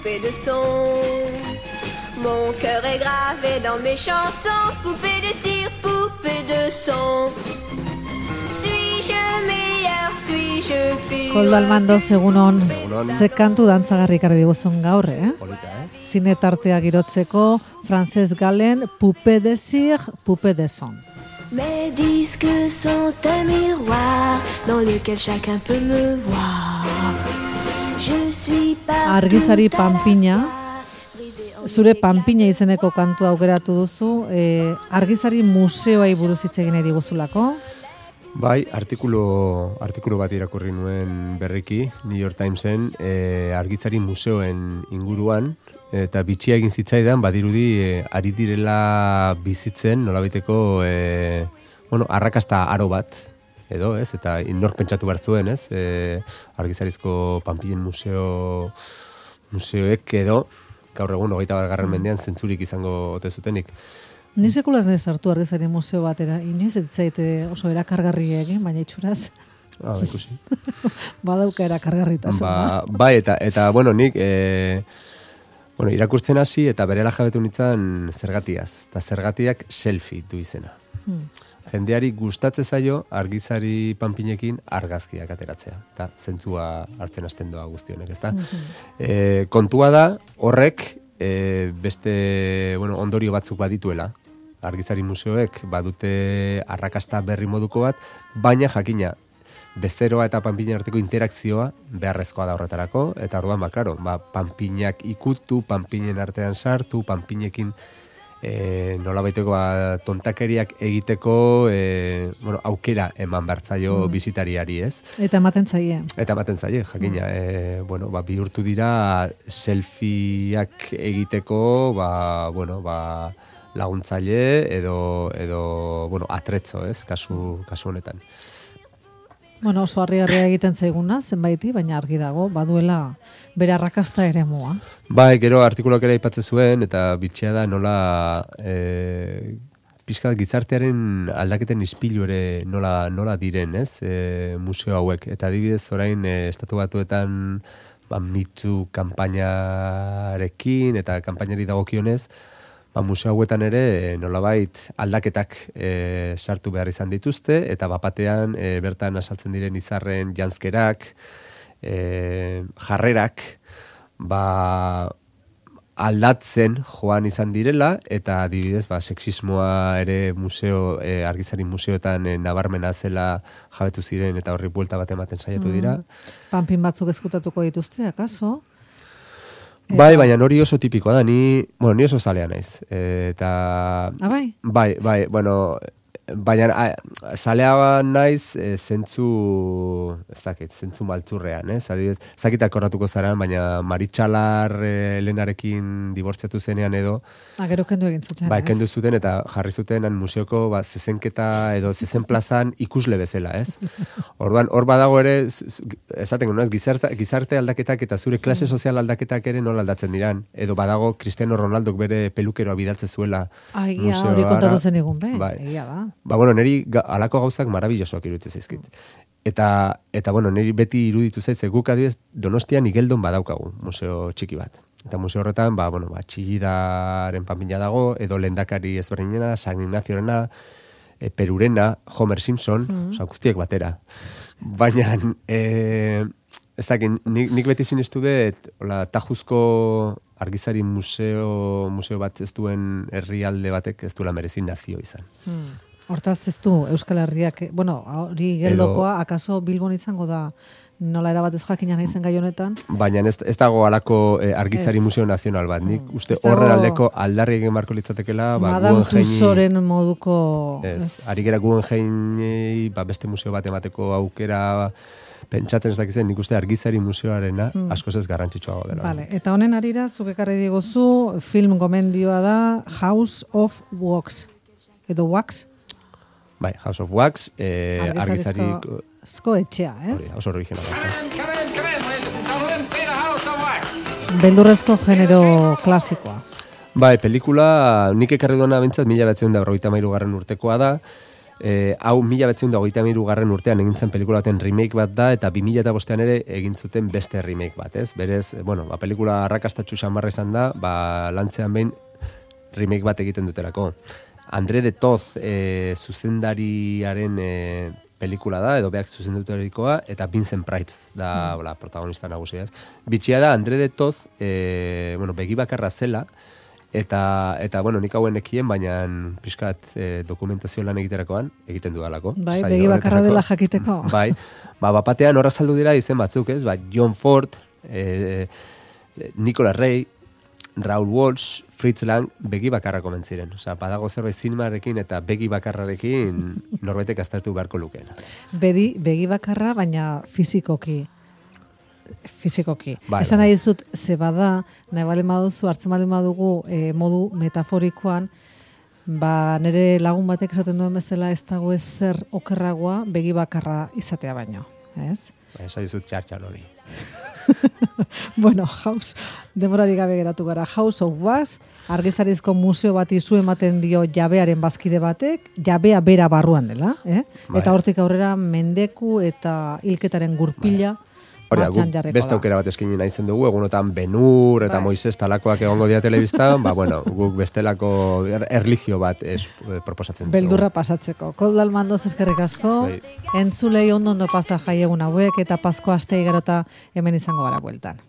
poupée de son. Mon cœur est gravé dans mes chansons, poupée de cire, poupée de son. Suis-je meilleur, suis-je pire? Koldo Almando, egunon. Ze kantu dantzagarri ekarri diguzun gaur, Polita, Zine tartea girotzeko, Frances Galen, poupée de cire, poupée de son. Mes disques sont un miroir dans lequel chacun peut me voir. Je suis pas Argizari Panpina, zure Panpina izeneko kantu aukeratu duzu, Argizari museoai buruz hitz egin nahi diguzulako. Bai, artikulu bat irakurri nuen berriki, New York Timesen, Argizari museoen inguruan, eta bitxia egin zitzaidan, badirudi ari direla bizitzen, nolabaiteko, arrakasta aro bat, edo, ez? Eta inor pentsatu behar zuen, ez? Argizarizko Panpinen museoek edo, gaur egun 21. mendean zentzurik izango ote zutenik. Ni sekulaz nahi sartu Argizari museo batera, inoiz ez zaite oso erakargarri egin, baina itxuraz. Ikusi. Badauka erakargarritasun. Bai, eta nik irakurtzen hasi eta berela jabetu nintzen zergatiaz. Eta zergatiak selfie du izena. Jendeari gustatzen zaio Argizari Panpinekin argazkiak ateratzea. Eta zentzua hartzen hasten doa guztionek, ezta? Kontua da, horrek beste ondorio batzuk badituela. Argizari museoek badute arrakasta berri moduko bat, baina jakina, bezeroa eta Panpinen arteko interakzioa beharrezkoa da horretarako, eta orduan, Panpinak ikutu, Panpinen artean sartu, Panpinekin nolabaiteko tontakeriak egiteko aukera eman bertzaio bizitariari, ez? Eta ematen zaie, jakina. Bihurtu dira selfieak egiteko, laguntzaile edo atretzo, ez? Kasu honetan. Oso harrigarria egiten zaiguna, zenbaiti, baina argi dago, baduela bere arrakasta ere mua. Bai, gero artikuluak ere aipatzen zuen, eta bitxea da nola pixka gizartearen aldaketen ispilu ere nola diren, ez? Museo hauek. Eta adibidez orain Estatu Batuetan mitzu kanpainarekin eta kanpainari dagokionez, museo hauetan ere nolabait aldaketak sartu behar izan dituzte, eta bapatean bertan asaltzen diren izarren janzkerak, jarrerak, aldatzen joan izan direla, eta adibidez, sexismoa ere Argizari museoetan nabarmena zela jabetu ziren, eta horri buelta bat ematen saiatu dira. Panpin batzuk ezkutatuko dituzte, akaso? Bai, baina hori oso tipikoa da, ni oso zalea naiz. Eta... Bai? Bai, baina zalea naiz zentzu maltzurrean, ez? Adibidez, zakitak korratuko zaran, baina Maritxalar Elenarekin dibortziatu zenean edo... Gero kendu egin zuten, ez? Kendu zuten eta jarri zuten museoko zezenketa edo zezen plazan ikusle bezala, ez? Orduan, hor badago ere, esaten gero, gizarte aldaketak eta zure klase sozial aldaketak ere nola aldatzen diran. Edo badago Cristiano Ronaldok bere pelukeroa bidaltzen zuela museoara. Hori kontatu zen egun, egia da. Niri alako gauzak marabillosoak iruditzen zaizkit. Eta niri beti iruditu zaiz, guk adibidez Donostian Igeldon badaukagu, museo txiki bat. Eta museo horretan, Txillidaren Panpina dago, edo Lehendakari ezberdinena, San Ignaziorena, Perurena, Homer Simpson, guztiek batera. Baina, ez dakit, nik beti sinestu dut, Tajuzko Argizari museo bat ez duen herrialde batek ez duela merezi nazio izan. Hortaz ez du Euskal Herriak, hori geldokoa, akaso Bilbon izango da nola erabat ez jakina naizen gai honetan? Baina ez dago alako Argizari Museo Nazional bat. Nik uste horren aldeko aldarri egin marko litzatekela. Madame Tussauren moduko... Ari gera Guggenheim beste museo bat emateko aukera pentsatzen ez dakizen, nik uste Argizari museoarena askoz ez garrantzitsuago dela. Vale. Eta honen arira, zuk ekarri diguzu, film gomendioa da House of Wax. Edo Wax? Bai, House of Wax, Argizarizko etxea, ez? Oso originala. Beldurrezko genero klasikoa. Bai, pelikula nik ekarri duena bentsat 1953 urtekoa da, Hau 1923 urtean egin zen pelikula baten remake bat da, eta 2005 ere egin zuten beste remake bat, ez? Berez, pelikula arrakastatxu xamarra izan da, lantzean behin remake bat egiten dutelako. André de Toz zuzendariaren pelikula da, edo beak zuzendutarikoa, eta Vincent Price da protagonista nagusia, ez? Bitxia da, André de Toz, begi bakarra zela, eta nik hauen ekien, baina pixkat dokumentazio lan egiterakoan, egiten dudalako. Bai, begi bakarra dela jakiteko. Bai, batean horra saldu dira izen batzuk, ez? John Ford, Nicolas Ray, Raoul Walsh, Fritz Lang, begi bakarra komentziren. Badago zerbait zinemarekin eta begi bakarrarekin norbaitek aztertu beharko lukeena. Begi bakarra, baina fizikoki. Bai, Esan nahi dizut, ze bada, nahi balen baduzu, hartzen balen badugu modu metaforikoan, nire lagun batek esaten duen bezala ez dago ezer okerragoa begi bakarra izatea baino, ez? Esan dizut txartxan hori. Bueno, demorari gabe geratu gara. House of Wax, argizarizko museo bati zu ematen dio jabearen bazkide batek, jabea bera barruan dela, Eta hortik aurrera mendeku eta hilketaren gurpila, beste aukera bat eskaini nahi zen dugu, egunotan Benur eta Moises talakoak egongo dira telebistan, guk bestelako erlijio bat proposatzen dugu. Beldurra pasatzeko. Koldal Mandoz eskerrik asko, entzulei ondo pasa jaiegun hauek, eta Pasko aste igarota hemen izango gara bueltan.